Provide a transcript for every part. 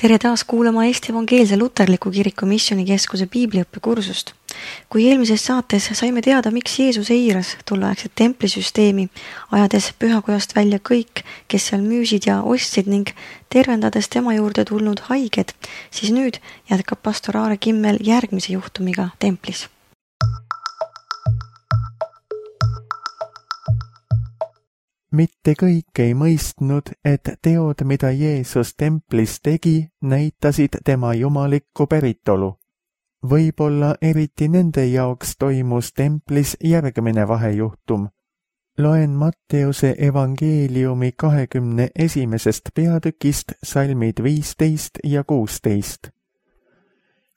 Tere taas kuulama Eesti Evangeelse Luterliku Kiriku Missioonikeskuse piibliõppekursust. Kui eelmises saates saime teada, miks Jeesus eiras tolleaegset templisüsteemi, ajades pühakojast välja kõik, kes seal müüsid ja ostsid ning tervendades tema juurde tulnud haiged, siis nüüd jätkab pastor Aare Kimmel järgmise juhtumiga templis. Mitte kõik ei mõistnud, et teod, mida Jeesus templis tegi, näitasid tema jumalikku päritolu. Võib-olla eriti nende jaoks toimus templis järgmine vahejuhtum. Loen Matteuse evangeeliumi 21. peatükist salmid 15 ja 16.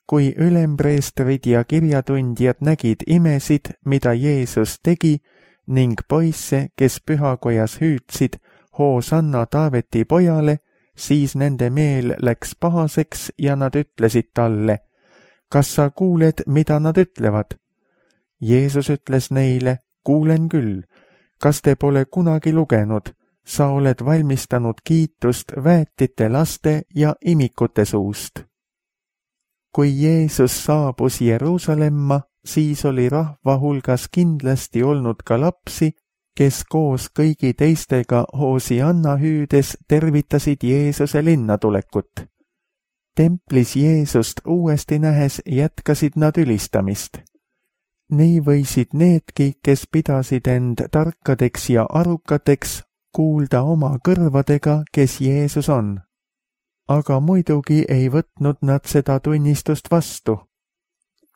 Kui ülempreestrid ja kirjatundjad nägid imesid, mida Jeesus tegi, ning poisse, kes pühakojas hüüdsid Hoosanna Taaveti pojale, siis nende meel läks pahaseks ja nad ütlesid talle, kas sa kuuled, mida nad ütlevad? Jeesus ütles neile, kuulen küll, kas te pole kunagi lugenud, sa oled valmistanud kiitust väetite laste ja imikute suust. Kui Jeesus saabus Jeruusalemma, siis oli rahva hulgas kindlasti olnud ka lapsi, kes koos kõigi teistega Hoosianna hüüdes tervitasid Jeesuse linnatulekut. Templis Jeesust uuesti nähes jätkasid nad ülistamist. Nii võisid needki, kes pidasid end tarkadeks ja arukateks, kuulda oma kõrvadega, kes Jeesus on. Aga muidugi ei võtnud nad seda tunnistust vastu.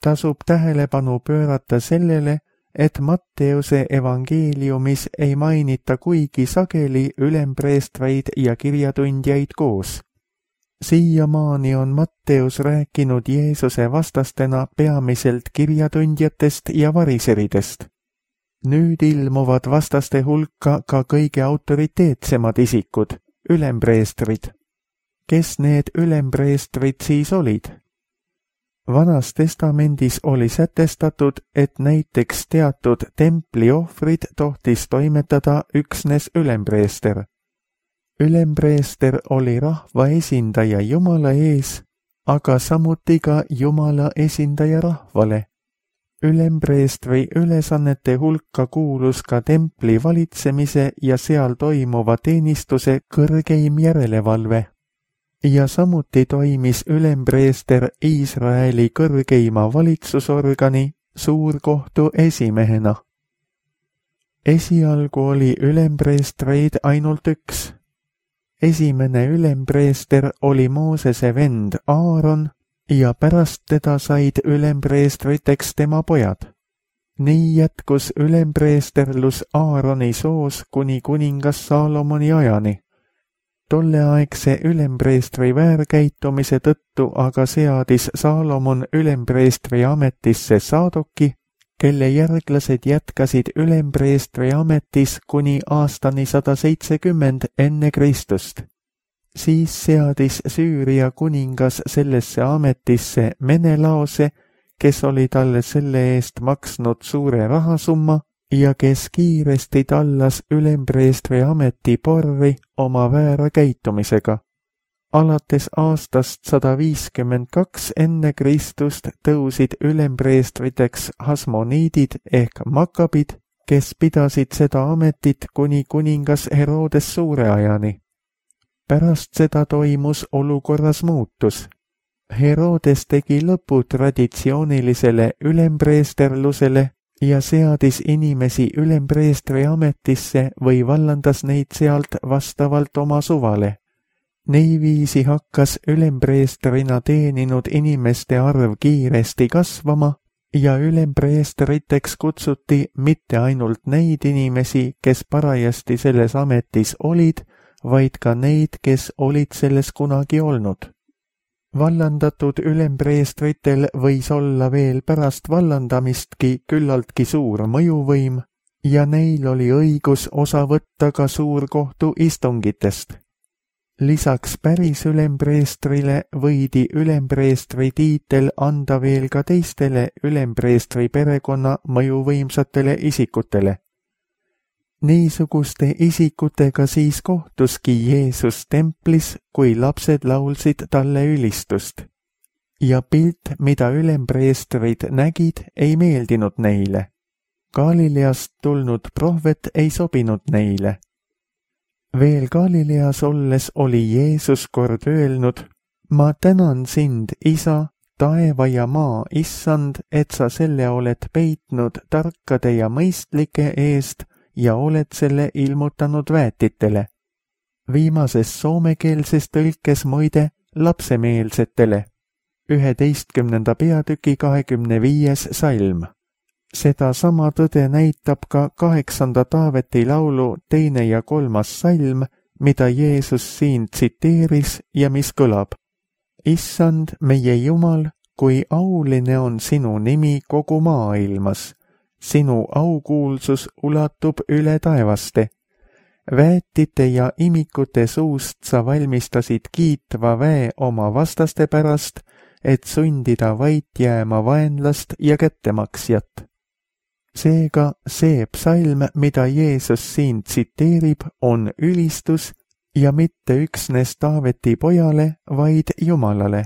Tasub tähelepanu pöörata sellele, et Matteuse evangeeliumis ei mainita kuigi sageli ülempreestreid ja kirjatundjaid koos. Siiamaani on Matteus rääkinud Jeesuse vastastena peamiselt kirjatundjatest ja variseridest. Nüüd ilmuvad vastaste hulka ka kõige autoriteetsemad isikud, ülempreestrid. Kes need ülempreestrid siis olid? Vanas testamendis oli sätestatud, et näiteks teatud templiohvrid tohtis toimetada üksnes ülempreester. Ülempreester oli rahva esindaja Jumala ees, aga samuti ka Jumala esindaja rahvale. Ülempreestri ülesannete hulka kuulus ka templi valitsemise ja seal toimuva teenistuse kõrgeim järelevalve. Ja samuti toimis ülempreester Iisraeli kõrgeima valitsusorgani suurkohtu esimehena. Esialgu oli ülempreestreid ainult üks. Esimene ülempreester oli Moosese vend Aaron ja pärast teda said ülempreestriteks tema pojad. Nii jätkus ülempreesterlus Aaroni soos kuni kuningas Saalomoni ajani. Tolleaegse ülempreestri väärkäitumise tõttu aga seadis Saalomon ülempreestri ametisse Saadoki, kelle järglased jätkasid ülempreestri ametis kuni aastani 170 enne Kristust. Siis seadis Süüria kuningas sellesse ametisse Menelaose, kes oli talle selle eest maksnud suure rahasumma, ja kes kiiresti tallas ülempreestri ameti porri oma väära käitumisega. Alates aastast 152 enne Kristust tõusid ülempreestriteks hasmoniidid ehk makabid, kes pidasid seda ametit kuni kuningas Herodes suure ajani. Pärast seda toimus olukorras muutus. Herodes tegi lõpu traditsioonilisele ülempreesterlusele ja seadis inimesi ülempreestri ametisse või vallandas neid sealt vastavalt oma suvale. Niiviisi hakkas ülempreestrina teeninud inimeste arv kiiresti kasvama ja ülempreestriteks kutsuti mitte ainult neid inimesi, kes parajasti selles ametis olid, vaid ka neid, kes olid selles kunagi olnud. Vallandatud ülempreestritel võis olla veel pärast vallandamistki küllaltki suur mõjuvõim ja neil oli õigus osa võtta ka suurkohtu istungitest. Lisaks päris ülempreestrile võidi ülempreestri tiitel anda veel ka teistele ülempreestri perekonna mõjuvõimsatele isikutele. Niisuguste isikutega siis kohtuski Jeesus templis, kui lapsed laulsid talle ülistust. Ja pilt, mida ülempreestrid nägid, ei meeldinud neile. Galileast tulnud prohvet ei sobinud neile. Veel Galileas olles oli Jeesus kord öelnud: ma tänan sind, Isa, taeva ja maa issand, et sa selle oled peitnud tarkade ja mõistlike eest ja oled selle ilmutanud väetitele. Viimases soomekeelses tõlkes muide lapsemeelsetele. 11. peatüki 25. salm. Seda sama tõde näitab ka 8. Taaveti laulu 2. ja 3. salm, mida Jeesus siin tsiteeris ja mis kõlab: Issand, meie Jumal, kui auline on sinu nimi kogu maailmas. Sinu aukuulsus ulatub üle taevaste. Väetite ja imikute suust sa valmistasid kiitva väe oma vastaste pärast, et sundida vait jääma vaenlast ja kättemaksjat. Seega see psalm, mida Jeesus siin tsiteerib, on ülistus ja mitte üksnes Taaveti pojale, vaid Jumalale.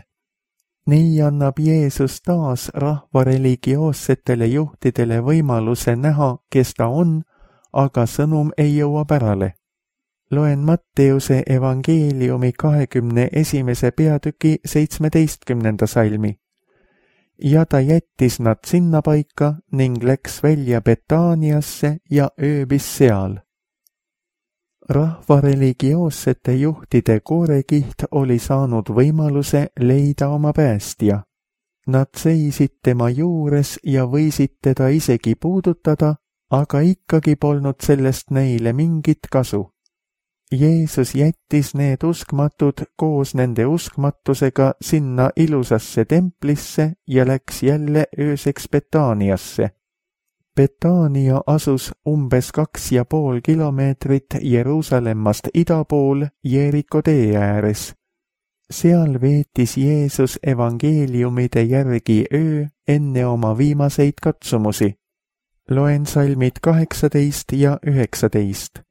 Nii annab Jeesus taas rahva religioossetele juhtidele võimaluse näha, kes ta on, aga sõnum ei jõua pärale. Loen Matteuse evangeeliumi 21. peatüki 17. salmi. Ja ta jättis nad sinnapaika ning läks välja Betaaniasse ja ööbis seal. Rahva religioossete juhtide koorekiht oli saanud võimaluse leida oma päästja. Nad seisid tema juures ja võisid teda isegi puudutada, aga ikkagi polnud sellest neile mingit kasu. Jeesus jättis need uskmatud koos nende uskmatusega sinna ilusasse templisse ja läks jälle ööseks Betaaniasse. Betaania asus umbes 2,5 kilomeetrit Jeruusalemmast ida pool Jeeriko tee ääres. Seal veetis Jeesus evangeeliumide järgi öö enne oma viimaseid katsumusi. Loen salmid 18 ja 19.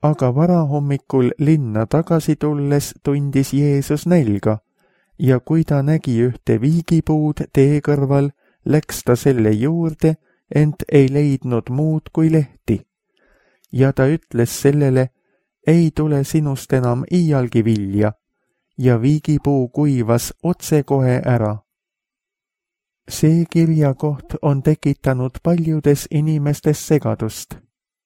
Aga varahommikul linna tagasi tulles tundis Jeesus nälga ja kui ta nägi ühte viigipuud tee kõrval, läks ta selle juurde, ent ei leidnud muud kui lehti. Ja ta ütles sellele: ei tule sinust enam iialgi vilja, ja viigipuu kuivas otsekohe ära. See kirjakoht on tekitanud paljudes inimestes segadust.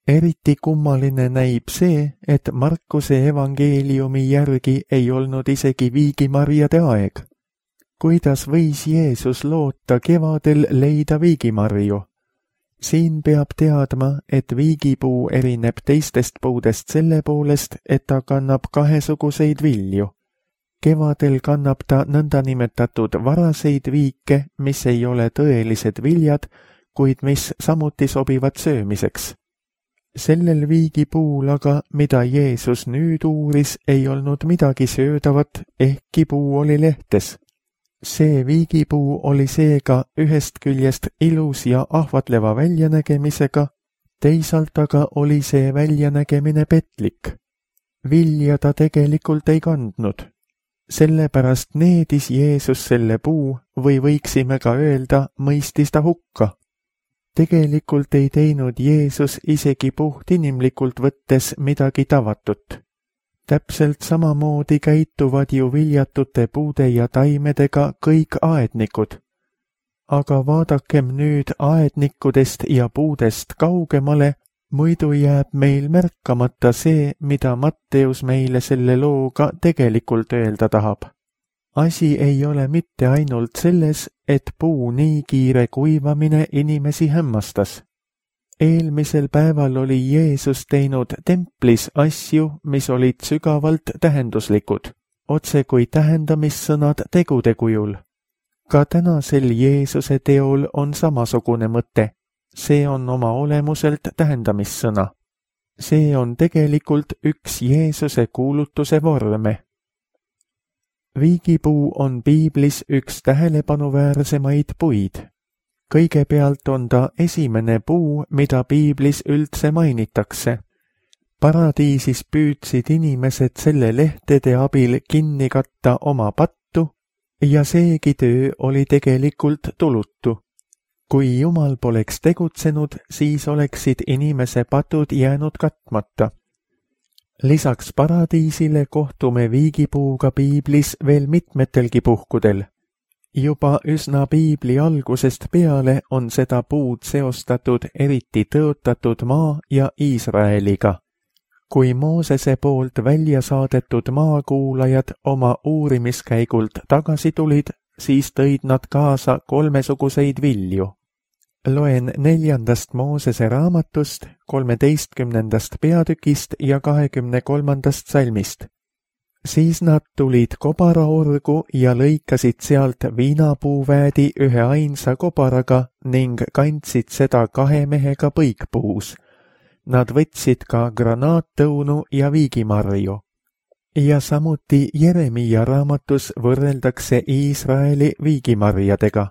Eriti kummaline näib see, et Markuse evangeeliumi järgi ei olnud isegi viigimarjade aeg. Kuidas võis Jeesus loota kevadel leida viigimarju? Siin peab teadma, et viigipuu erineb teistest puudest selle poolest, et ta kannab kahesuguseid vilju. Kevadel kannab ta nõndanimetatud varaseid viike, mis ei ole tõelised viljad, kuid mis samuti sobivad söömiseks. Sellel viigipuul aga, mida Jeesus nüüd uuris, ei olnud midagi söödavat, ehkki puu oli lehtes. See viigipuu oli seega ühest küljest ilus ja ahvatleva väljanägemisega, teisalt aga oli see väljanägemine petlik. Vilja ta tegelikult ei kandnud. Sellepärast needis Jeesus selle puu või võiksime ka öelda, mõistis ta hukka. Tegelikult ei teinud Jeesus isegi puhtinimlikult võttes midagi tavatut. Täpselt samamoodi käituvad ju viljatute puude ja taimedega kõik aednikud. Aga vaadakem nüüd aednikudest ja puudest kaugemale, muidu jääb meil märkamata see, mida Matteus meile selle looga tegelikult öelda tahab. Asi ei ole mitte ainult selles, et puu nii kiire kuivamine inimesi hämmastas. Eelmisel päeval oli Jeesus teinud templis asju, mis olid sügavalt tähenduslikud, otse kui tähendamissõnad tegude kujul. Ka tänasel Jeesuse teol on samasugune mõte. See on oma olemuselt tähendamissõna. See on tegelikult üks Jeesuse kuulutuse vorme. Viigipuu on piiblis üks tähelepanuväärsemaid puid. Kõigepealt on ta esimene puu, mida piiblis üldse mainitakse. Paradiisis püüdsid inimesed selle lehtede abil kinni katta oma pattu ja seegi töö oli tegelikult tulutu. Kui Jumal poleks tegutsenud, siis oleksid inimese patud jäänud katmata. Lisaks paradiisile kohtume viigipuuga piiblis veel mitmetelgi puhkudel. Juba üsna piibli algusest peale on seda puud seostatud eriti tõotatud maa ja Iisraeliga. Kui Moosese poolt välja saadetud maakuulajad oma uurimiskäigult tagasi tulid, siis tõid nad kaasa kolmesuguseid vilju. Loen 4. Moosese raamatust, 13. peatükist ja 23. salmist. Siis nad tulid kobaraorgu ja lõikasid sealt viinapuuväädi ühe ainsa kobaraga ning kandsid seda 2 mehega põikpuus. Nad võtsid ka granaattõunu ja viigimarju. Ja samuti Jeremia raamatus võrreldakse Iisraeli viigimarjadega.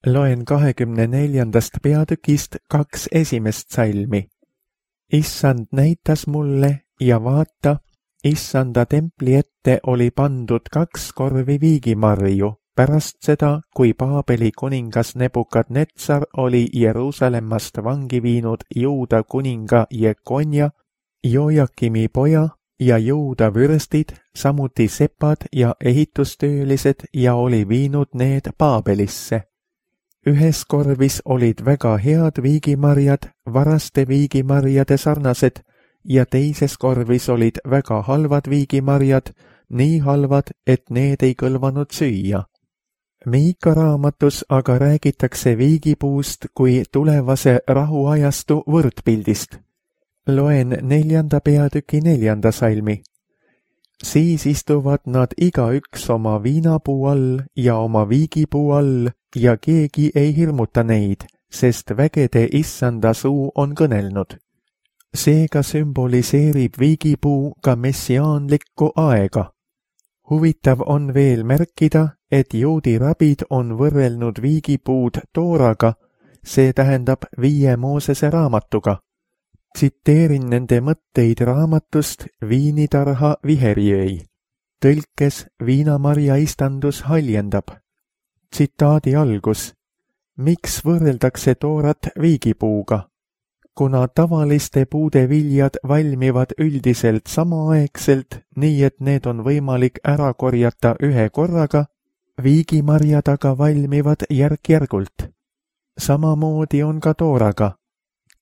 Loen 24. peatükist 2 esimest salmi. Issand näitas mulle ja vaata, Issanda templi ette oli pandud 2 korvi viigimarju pärast seda, kui Paabeli kuningas Nebukadnetsar oli Jeruusalemmast vangi viinud Juuda kuninga Jekonja, Jojakimi poja ja Juuda vürstid, samuti sepad ja ehitustöölised ja oli viinud need Paabelisse. Ühes korvis olid väga head viigimarjad, varaste viigimarjade sarnased, ja teises korvis olid väga halvad viigimarjad, nii halvad, et need ei kõlvanud süüa. Miika raamatus aga räägitakse viigipuust kui tulevase rahuajastu võrdpildist. Loen 4. peatüki 4. salmi. Siis istuvad nad igaüks oma viinapuu all ja oma viigipuu all ja keegi ei hirmuta neid, sest vägede Issanda suu on kõnelnud. Seega sümboliseerib viigipuu ka messiaanlikku aega. Huvitav on veel märkida, et juudi rabid on võrrelnud viigipuud tooraga, see tähendab 5 Moosese raamatuga. Tsiteerin nende mõtteid raamatust Viinitarha viheriöi. Tõlkes viinamarja istandus haljendab. Tsitaadi algus. Miks võrreldakse toorat viigipuuga? Kuna tavaliste puude viljad valmivad üldiselt samaaegselt, nii et need on võimalik ära korjata ühe korraga, viigimarjad aga valmivad järk-järgult. Samamoodi on ka tooraga.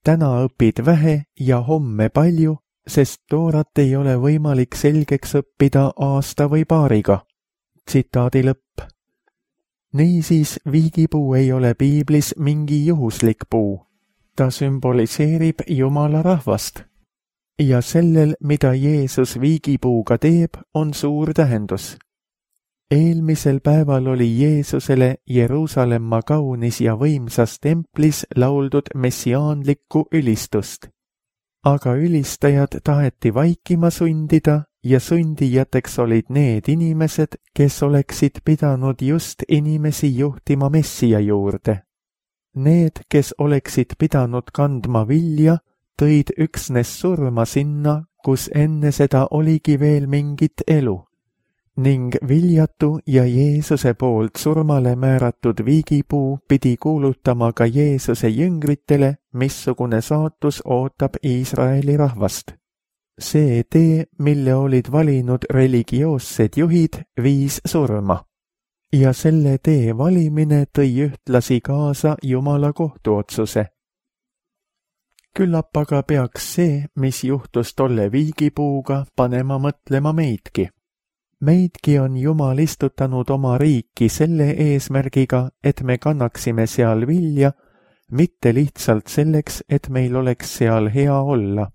Täna õpid vähe ja homme palju, sest toorat ei ole võimalik selgeks õppida aasta või paariga. Tsitaadi lõpp. Niisiis viigipuu ei ole piiblis mingi juhuslik puu. Ta sümboliseerib Jumala rahvast. Ja sellel, mida Jeesus viigipuuga teeb, on suur tähendus. Eelmisel päeval oli Jeesusele Jeruusalemma kaunis ja võimsas templis lauldud messiaanlikku ülistust. Aga ülistajad taheti vaikima sundida ja sundijateks olid need inimesed, kes oleksid pidanud just inimesi juhtima Messia juurde. Need, kes oleksid pidanud kandma vilja, tõid üksnes surma sinna, kus enne seda oligi veel mingit elu. Ning viljatu ja Jeesuse poolt surmale määratud viigipuu pidi kuulutama ka Jeesuse jüngritele, missugune saatus ootab Iisraeli rahvast. See tee, mille olid valinud religioossed juhid, viis surma. Ja selle tee valimine tõi ühtlasi kaasa Jumala kohtuotsuse. Küllap aga peaks see, mis juhtus tolle viigipuuga, panema mõtlema meidki. Meidki on Jumal istutanud oma riiki selle eesmärgiga, et me kannaksime seal vilja, mitte lihtsalt selleks, et meil oleks seal hea olla.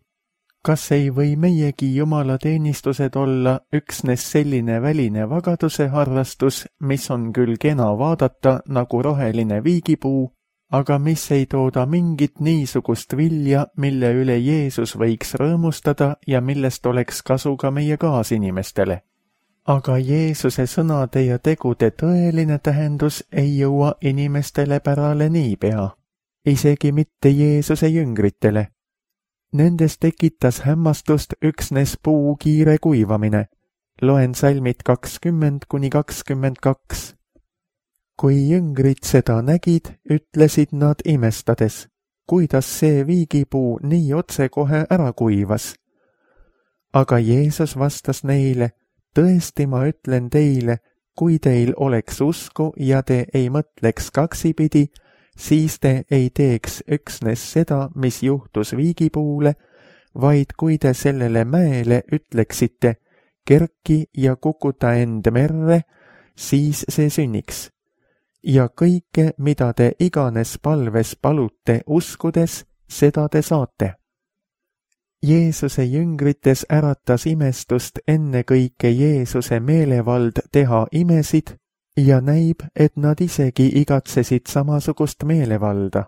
Kas ei või meiegi Jumala teenistused olla üksnes selline väline vagaduse harrastus, mis on küll kena vaadata nagu roheline viigipuu, aga mis ei tooda mingit niisugust vilja, mille üle Jeesus võiks rõõmustada ja millest oleks kasu ka meie kaasinimestele? aga Jeesuse sõnade ja tegude tõeline tähendus ei jõua inimestele pärale niipea, isegi mitte Jeesuse jüngritele. Nendes tekitas hämmastust üksnes puu kiire kuivamine. Loen salmid 20–22. Kui jüngrid seda nägid, ütlesid nad imestades, kuidas see viigipuu nii otsekohe ära kuivas. Aga Jeesus vastas neile, tõesti ma ütlen teile, kui teil oleks usku ja te ei mõtleks kaksipidi, siis te ei teeks üksnes seda, mis juhtus viigipuule, vaid kui te sellele mäele ütleksite, kerki ja kukuta end merre, siis see sünniks. Ja kõike, mida te iganes palves palute uskudes, seda te saate. Jeesuse jüngrites äratas imestust ennekõike Jeesuse meelevald teha imesid ja näib, et nad isegi igatsesid samasugust meelevalda.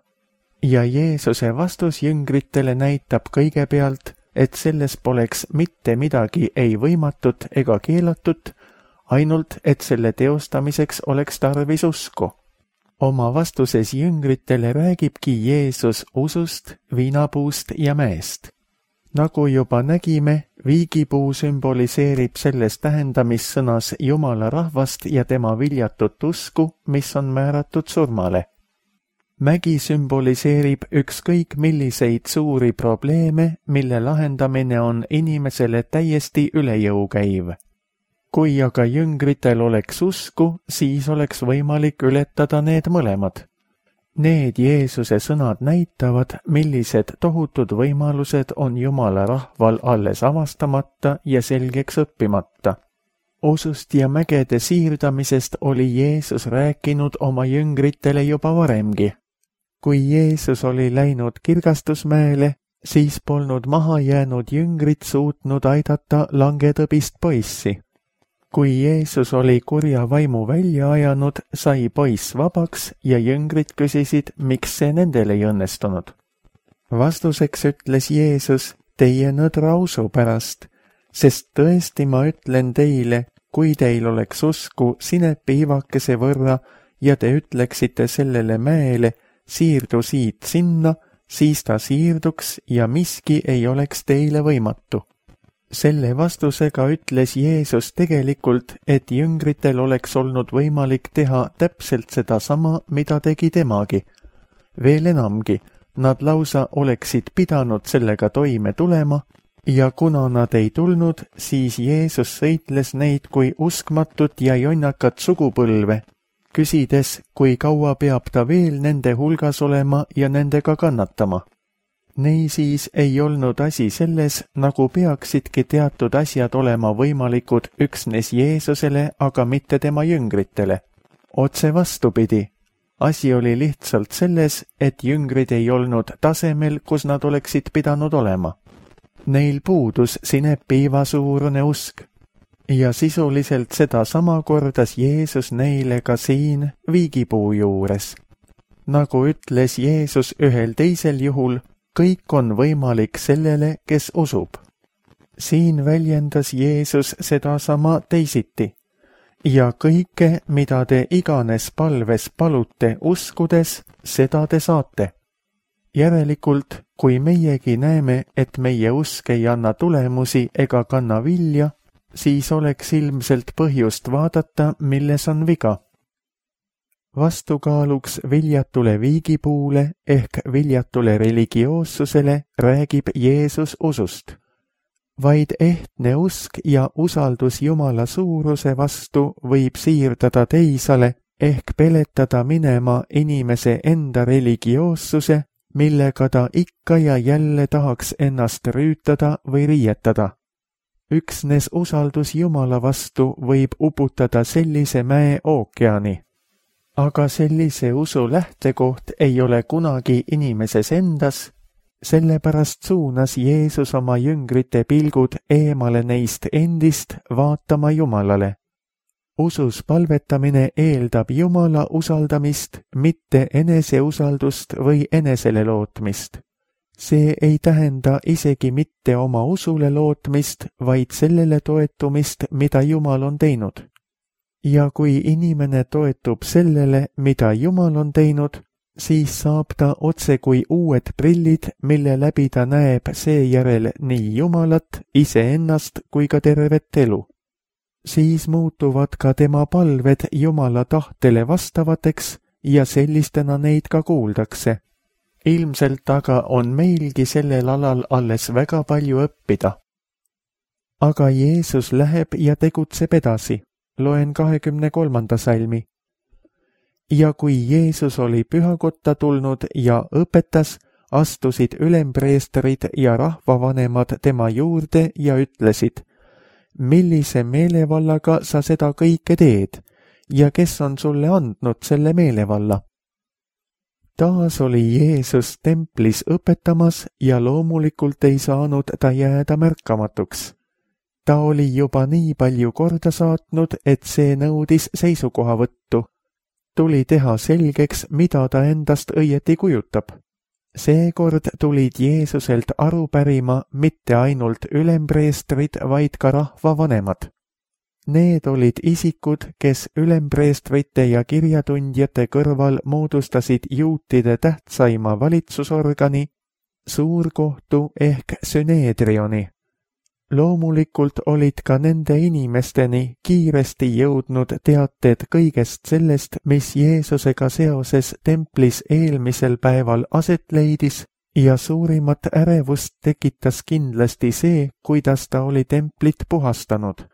Ja Jeesuse vastus jüngritele näitab kõigepealt, et selles poleks mitte midagi ei võimatut ega keelatut, ainult et selle teostamiseks oleks tarvis usku. Oma vastuses jüngritele räägibki Jeesus usust, viinapuust ja mäest. Nagu juba nägime, viigipuu sümboliseerib selles tähendamissõnas Jumala rahvast ja tema viljatut usku, mis on määratud surmale. Mägi sümboliseerib ükskõik milliseid suuri probleeme, mille lahendamine on inimesele täiesti üle jõu käiv. Kui aga jüngritel oleks usku, siis oleks võimalik ületada need mõlemad. Need Jeesuse sõnad näitavad, millised tohutud võimalused on Jumala rahval alles avastamata ja selgeks õppimata. Usust ja mägede siirdamisest oli Jeesus rääkinud oma jüngritele juba varemgi. Kui Jeesus oli läinud Kirgastusmäele, siis polnud maha jäänud jüngrid suutnud aidata langetõbist poissi. Kui Jeesus oli kurja vaimu välja ajanud, sai poiss vabaks ja jüngrid küsisid, miks see nendel ei õnnestunud. Vastuseks ütles Jeesus, teie nõdra usu pärast, sest tõesti ma ütlen teile, kui teil oleks usku sinepiivakese võrra ja te ütleksite sellele mäele, siirdu siit sinna, siis ta siirduks ja miski ei oleks teile võimatu. Selle vastusega ütles Jeesus tegelikult, et jüngritel oleks olnud võimalik teha täpselt sedasama, mida tegi temagi. Veel enamgi, nad lausa oleksid pidanud sellega toime tulema ja kuna nad ei tulnud, siis Jeesus sõitles neid kui uskmatut ja jonnakat sugupõlve, küsides, kui kaua peab ta veel nende hulgas olema ja nendega kannatama. Neisiis ei olnud asi selles, nagu peaksidki teatud asjad olema võimalikud üksnes Jeesusele, aga mitte tema jüngritele. Otse vastupidi, asi oli lihtsalt selles, et jüngrid ei olnud tasemel, kus nad oleksid pidanud olema. Neil puudus sinepiiva suurune usk. Ja sisuliselt seda sama kordas Jeesus neile ka siin viigipuu juures. Nagu ütles Jeesus ühel teisel juhul, kõik on võimalik sellele, kes usub. Siin väljendas Jeesus sedasama teisiti. Ja kõike, mida te iganes palves palute uskudes, seda te saate. Järelikult, kui meiegi näeme, et meie usk ei anna tulemusi ega kanna vilja, siis oleks ilmselt põhjust vaadata, milles on viga. Vastukaaluks viljatule viigipuule ehk viljatule religioossusele räägib Jeesus usust. Vaid ehtne usk ja usaldus Jumala suuruse vastu võib siirdada teisale ehk peletada minema inimese enda religioossuse, millega ta ikka ja jälle tahaks ennast rüütada või riietada. Üksnes usaldus Jumala vastu võib uputada sellise mäe ookeani. Aga sellise usu lähtekoht ei ole kunagi inimeses endas, sellepärast suunas Jeesus oma jüngrite pilgud eemale neist endist vaatama Jumalale. Usus palvetamine eeldab Jumala usaldamist, mitte eneseusaldust või enesele lootmist. See ei tähenda isegi mitte oma usule lootmist, vaid sellele toetumist, mida Jumal on teinud. Ja kui inimene toetub sellele, mida Jumal on teinud, siis saab ta otse kui uued prillid, mille läbi ta näeb seejärel nii Jumalat, iseennast kui ka tervet elu. Siis muutuvad ka tema palved Jumala tahtele vastavateks ja sellistena neid ka kuuldakse. Ilmselt aga on meilgi sellel alal alles väga palju õppida. Aga Jeesus läheb ja tegutseb edasi. Loen 23. salmi. Ja kui Jeesus oli pühakotta tulnud ja õpetas, astusid ülempreestrid ja rahvavanemad tema juurde ja ütlesid, millise meelevallaga sa seda kõike teed ja kes on sulle andnud selle meelevalla? Taas oli Jeesus templis õpetamas ja loomulikult ei saanud ta jääda märkamatuks. Ta oli juba nii palju korda saatnud, et see nõudis seisukohavõttu. Tuli teha selgeks, mida ta endast õieti kujutab. Seekord tulid Jeesuselt aru pärima mitte ainult ülempreestrid, vaid ka rahvavanemad. Need olid isikud, kes ülempreestrite ja kirjatundjate kõrval moodustasid juutide tähtsaima valitsusorgani, suurkohtu ehk süneedrioni. Loomulikult olid ka nende inimesteni kiiresti jõudnud teated kõigest sellest, mis Jeesusega seoses templis eelmisel päeval aset leidis ja suurimat ärevust tekitas kindlasti see, kuidas ta oli templit puhastanud.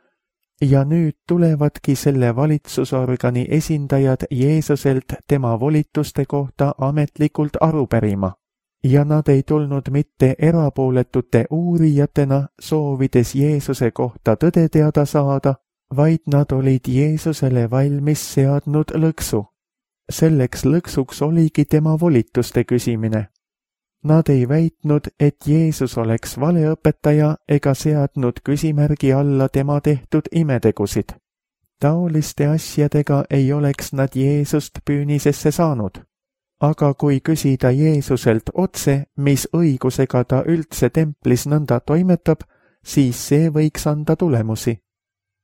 Ja nüüd tulevadki selle valitsusorgani esindajad Jeesuselt tema volituste kohta ametlikult aru pärima. Ja nad ei tulnud mitte erapooletute uurijatena, soovides Jeesuse kohta tõde teada saada, vaid nad olid Jeesusele valmis seadnud lõksu. Selleks lõksuks oligi tema volituste küsimine. Nad ei väitnud, et Jeesus oleks valeõpetaja ega seadnud küsimärgi alla tema tehtud imetegusid. Taoliste asjadega ei oleks nad Jeesust püünisesse saanud. Aga kui küsida Jeesuselt otse, mis õigusega ta üldse templis nõnda toimetab, siis see võiks anda tulemusi.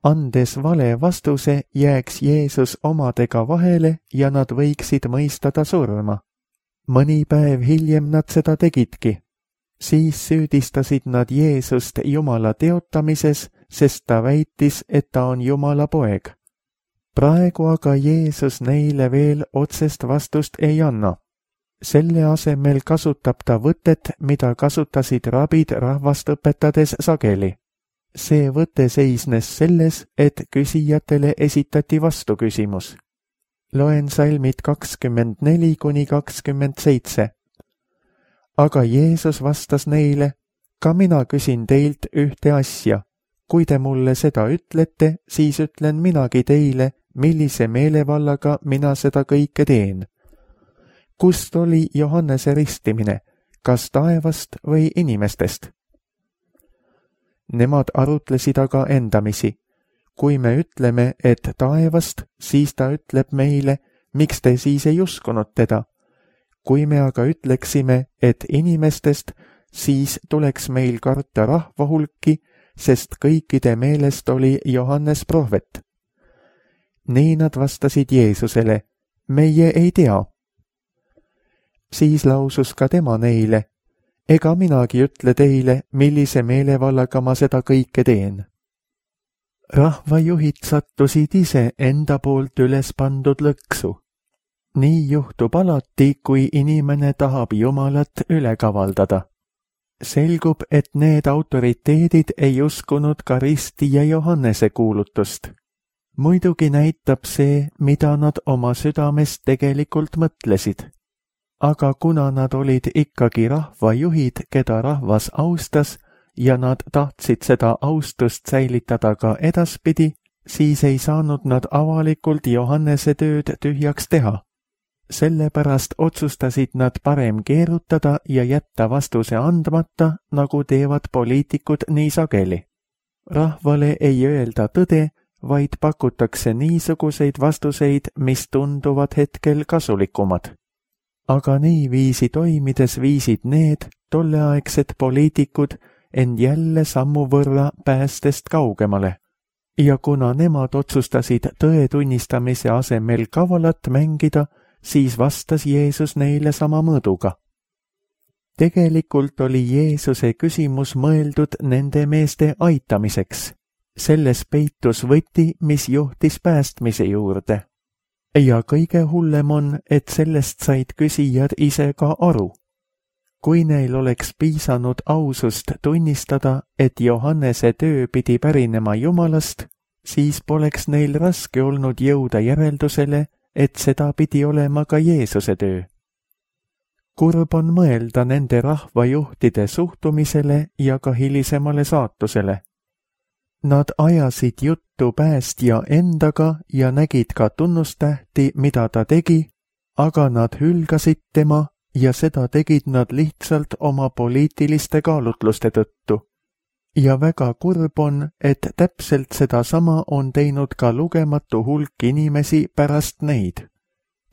Andes vale vastuse, jääks Jeesus omadega vahele ja nad võiksid mõista ta surma. Mõni päev hiljem nad seda tegidki. Siis süüdistasid nad Jeesust Jumala teotamises, sest ta väitis, et ta on Jumala poeg. Praegu aga Jeesus neile veel otsest vastust ei anna. Selle asemel kasutab ta võtet, mida kasutasid rabid rahvast õpetades sageli. See võte seisnes selles, et küsijatele esitati vastuküsimus. Loen salmid 24–27. Aga Jeesus vastas neile, ka mina küsin teilt ühte asja. Kui te mulle seda ütlete, siis ütlen minagi teile, millise meelevallaga mina seda kõike teen. Kust oli Johannese ristimine, kas taevast või inimestest? Nemad arutlesid aga endamisi. Kui me ütleme, et taevast, siis ta ütleb meile, miks te siis ei uskunud teda. Kui me aga ütleksime, et inimestest, siis tuleks meil karta rahva hulki, sest kõikide meelest oli Johannes prohvet. Nii nad vastasid Jeesusele, meie ei tea. Siis lausus ka tema neile, ega minagi ütle teile, millise meelevallaga ma seda kõike teen. Rahvajuhid sattusid ise enda poolt üles pandud lõksu. Nii juhtub alati, kui inimene tahab Jumalat üle kavaldada. Selgub, et need autoriteedid ei uskunud ka Risti ja Johannese kuulutust. Muidugi näitab see, mida nad oma südames tegelikult mõtlesid. Aga kuna nad olid ikkagi rahvajuhid, keda rahvas austas, ja nad tahtsid seda austust säilitada ka edaspidi, siis ei saanud nad avalikult Johannese tööd tühjaks teha. Sellepärast otsustasid nad parem keerutada ja jätta vastuse andmata, nagu teevad poliitikud nii sageli. Rahvale ei öelda tõde, vaid pakutakse niisuguseid vastuseid, mis tunduvad hetkel kasulikumad. Aga niiviisi toimides viisid need, tolleaegsed poliitikud end jälle sammu võrra päästest kaugemale. Ja kuna nemad otsustasid tõe tunnistamise asemel kavalat mängida, siis vastas Jeesus neile sama mõõduga. Tegelikult oli Jeesuse küsimus mõeldud nende meeste aitamiseks. Selles peitus võti, mis juhtis päästmise juurde. Ja kõige hullem on, et sellest said küsijad ise ka aru. Kui neil oleks piisanud ausust tunnistada, et Johannese töö pidi pärinema Jumalast, siis poleks neil raske olnud jõuda järeldusele, et seda pidi olema ka Jeesuse töö. Kurb on mõelda nende rahvajuhtide suhtumisele ja ka hilisemale saatusele. Nad ajasid juttu päästja endaga ja nägid ka tunnustähti, mida ta tegi, aga nad hülgasid tema ja seda tegid nad lihtsalt oma poliitiliste kaalutluste tõttu. Ja väga kurb on, et täpselt sedasama on teinud ka lugematu hulk inimesi pärast neid.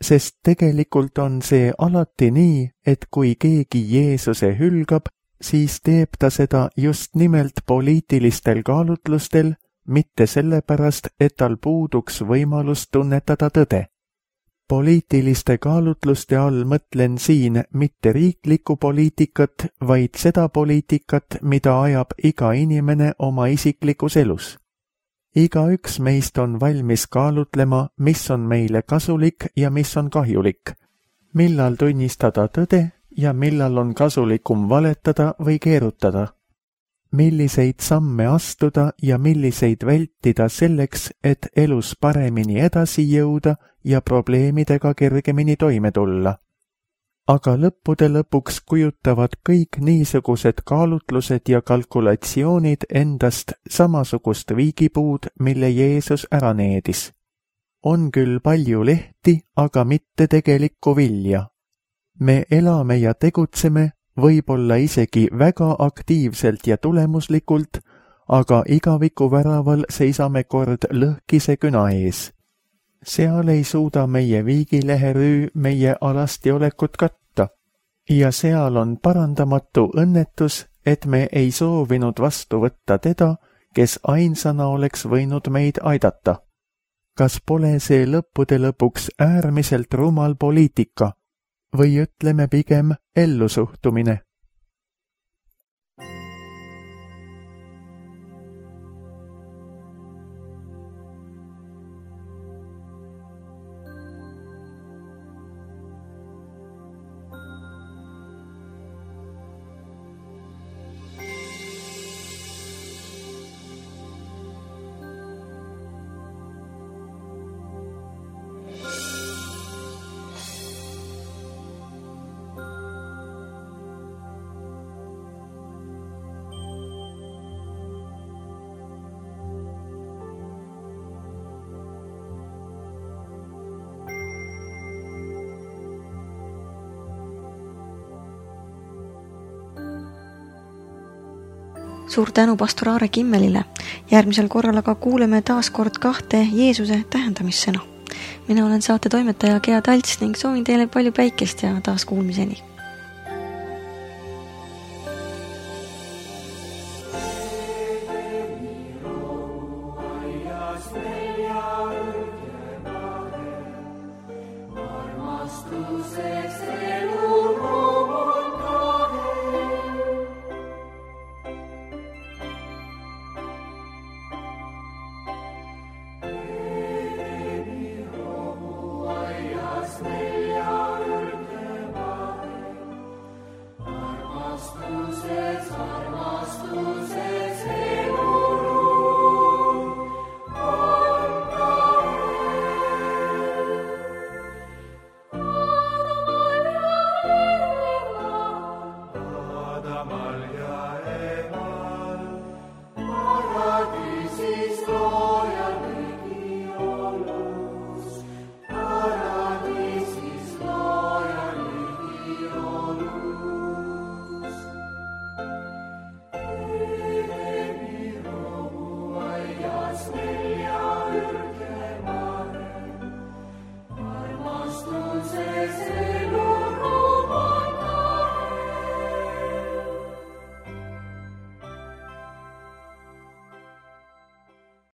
Sest tegelikult on see alati nii, et kui keegi Jeesuse hülgab, siis teeb ta seda just nimelt poliitilistel kaalutlustel, mitte sellepärast, et tal puuduks võimalus tunnetada tõde. Poliitiliste kaalutluste all mõtlen siin mitte riiklikku poliitikat, vaid seda poliitikat, mida ajab iga inimene oma isiklikus elus. Igaüks meist on valmis kaalutlema, mis on meile kasulik ja mis on kahjulik, millal tunnistada tõde ja millal on kasulikum valetada või keerutada, milliseid samme astuda ja milliseid vältida selleks, et elus paremini edasi jõuda ja probleemidega kergemini toime tulla. Aga lõppude lõpuks kujutavad kõik niisugused kaalutlused ja kalkulatsioonid endast samasugust viigipuud, mille Jeesus ära needis. On küll palju lehti, aga mitte tegelikku vilja. Me elame ja tegutseme, võib-olla isegi väga aktiivselt ja tulemuslikult, aga igaviku väraval seisame kord lõhkise küna ees. Seal ei suuda meie viigileherüü meie alastiolekut katta ja seal on parandamatu õnnetus, et me ei soovinud vastu võtta teda, kes ainsana oleks võinud meid aidata. Kas pole see lõppude lõpuks äärmiselt rumal poliitika või ütleme pigem ellusuhtumine? Suur tänu pastor Aare Kimmelile. Järgmisel korral aga kuuleme taas kord 2 Jeesuse tähendamissõna. Mina olen saate toimetaja Gea Talts ning soovin teile palju päikest ja taas kuulmiseni. Smelja